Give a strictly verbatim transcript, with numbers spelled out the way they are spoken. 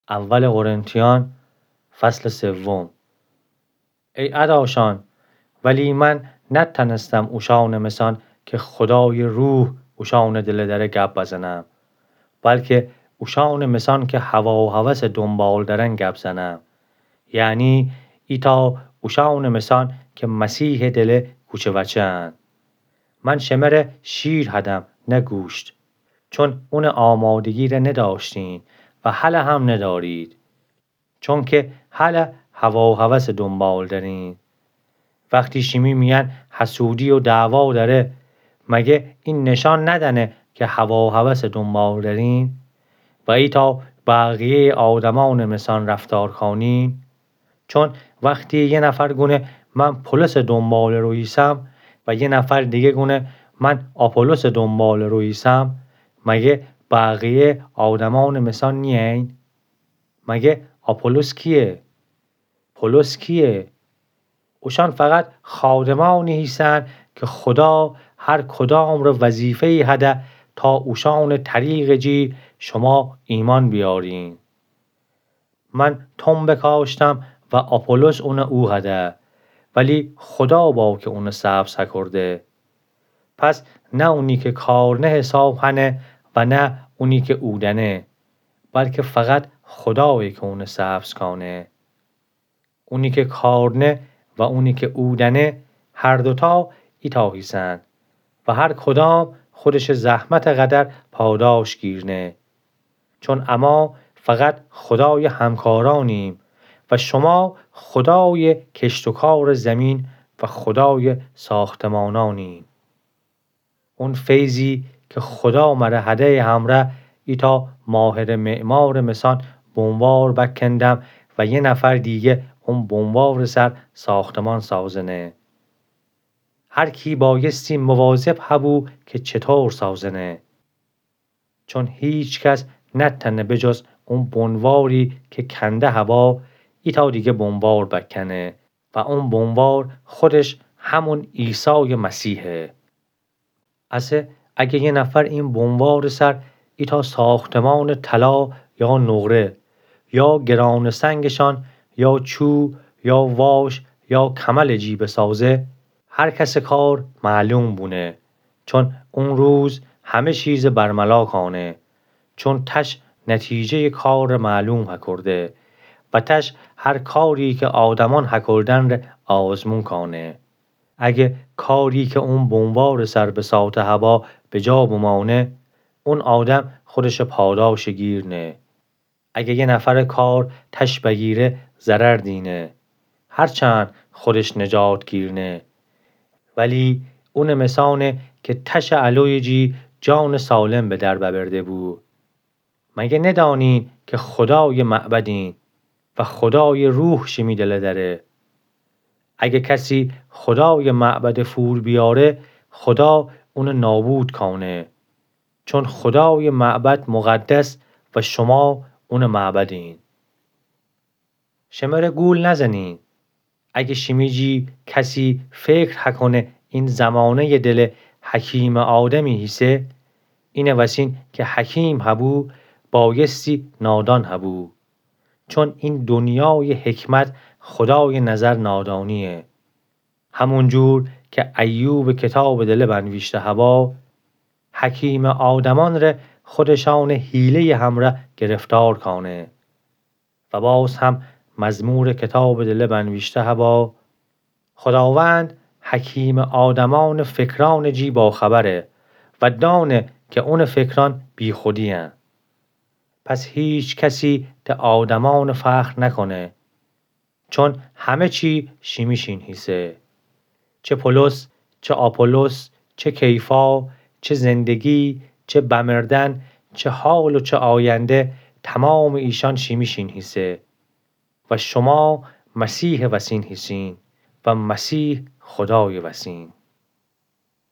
اول قرنتیان، فصل سوم. ای اداشان، ولی من نتأنستم اوشأنٚ مسان که خودایٚ روح اوشأنٚ دلٚ دره گب بزنم، بلکه اوشأنٚ مسان که هوا و هوسٚ دونبالدرن گب زنم، یعنی ایتأ اوشأنٚ مسان که مسیحٚ دلٚ کوچه وچه‌ان. من شمره شیر هدم، نه گوشت، چون اونٚ آمادگی ره نداشتین و هله هم ندارید، چونکه هله هوا و هوسٚ دونبال درین. وختی شیمی میأن حسودی و دعوا دأره، مگه این نشان ندأنه که هوا و هوسٚ دونبال درین؟ و ایتأ بقیهٔ آدمأنٚ مسان رفتار کانین؟ چون وختی یه نفر گونه من پولسٚ دونبالٚ رو ایسم و یه نفر دیگه گونه من آپولوسٚ دونبالٚ رو ایسم، مگه بقیه آدمأنٚ مسان نیین؟ مگه آپولوس کیه؟ پولس کیه؟ اوشأن فقط خادمأنی هیسن که خودا هر کدام ره وظیفه‌یی هده تا اوشأنٚ طریقٚ جی شما ایمأن بیارین. من تن بکاشتم و آپولوس اونه اوهده، ولی خودا با که اونه سبز هکرده. پس نه اونی که کارنه حساب هنه و نه اونی که اودنه، بلکه فقط خودایه که اونه سبز کانه. اونی که کارنه و اونی که اودنه، هر دوتا ایتأ هیسن و هر کدام خودشٚ زحمتٚ قدر پاداش گیرنه. چون اما فقط خودایٚ همکارأنیم و شما خودایٚ کشت و کارٚ زمین و خودایٚ ساختمانأنین. اون فیضی که خودا مره هده‌یٚ همره ایتأ ماهرٚ معمارٚ مسان بنوار بکندم و یه نفر دیگه اون بنوارٚ سر ساختمان سازنه. هر کی بایستی مواظب هبو که چطور سازنه. چون هیکس نتأنه به جز اون بنواری که کنده هوا، ایتأ دیگه بنوار بکنه و اون بنوار خودش همون عیسایٚ مسیحه. اسه اگه یه نفر این بنوارٚ سر ایتأ ساختمانٚ طلا یا نقره یا گرانٚ سنگشان یا چو یا واش یا کملٚ جی بسازه، هر کسٚ کار معلوم بونه، چون اون روز همه چیزٚ برملا کانه، چون تش نتیجه‌یٚ کارٚ معلوم هکرده و تش هر کاری که آدمأن هکردن ره آزمون کانه. اگه کاری که اون بنوارٚ سر بساطه هوا به جا بمانه، اون آدم خودشٚ پاداشٚ گیرنه. اگه یه نفرٚ کار تش بگیره، ضرر دینه، هرچند خودش نجات گیرنه. ولی اونٚ مسانه که تشٚ الویٚ جی جانٚ سالم به در ببرده بو. مگه ندانین که خودایٚ معبدین و خودایٚ روح شیمی دله دأره؟ اگه کسی خودایٚ معبد فور بیاره، خودا اونه نابود کانه. چون خودایٚ معبد مقدس و شما اونٚ معبدین. شمره گول نزنین. اگه شیمی جی کسی فکر هکونه این زمانه‌یٚ دلٚ حکیمٚ آدمی هیسه، اینٚ وسین که حکیم هبو، بایستی نادان هبو. چون این دنیایٚ حکمت خودایٚ نظر نادانیه. همون جور که ایوبٚ کتابٚ دله بنویشته هوا، حکیمٚ آدمأن ره خودشانٚ حیله‌یٚ همره گرفتار کانه. و باز هم مزمورٚ کتابٚ دله بنویشته هوا، خوداوند حکیمٚ آدمأنٚ فکرأنٚ جی باخبره و دانه که اونٚ فکرأن بیخودی‌یه. پس هیکس ده آدمأنٚ فخر نکونه، چون همه چی شیمیشین هیسه. چه پولس، چه آپولوس، چه کیفا، چه زندگی، چه بمردن، چه حال و چه آینده، تمامٚ ایشأن شیمیشین هیسه. و شما مسیحٚ وسین هیسین و مسیح خودایٚ وسین.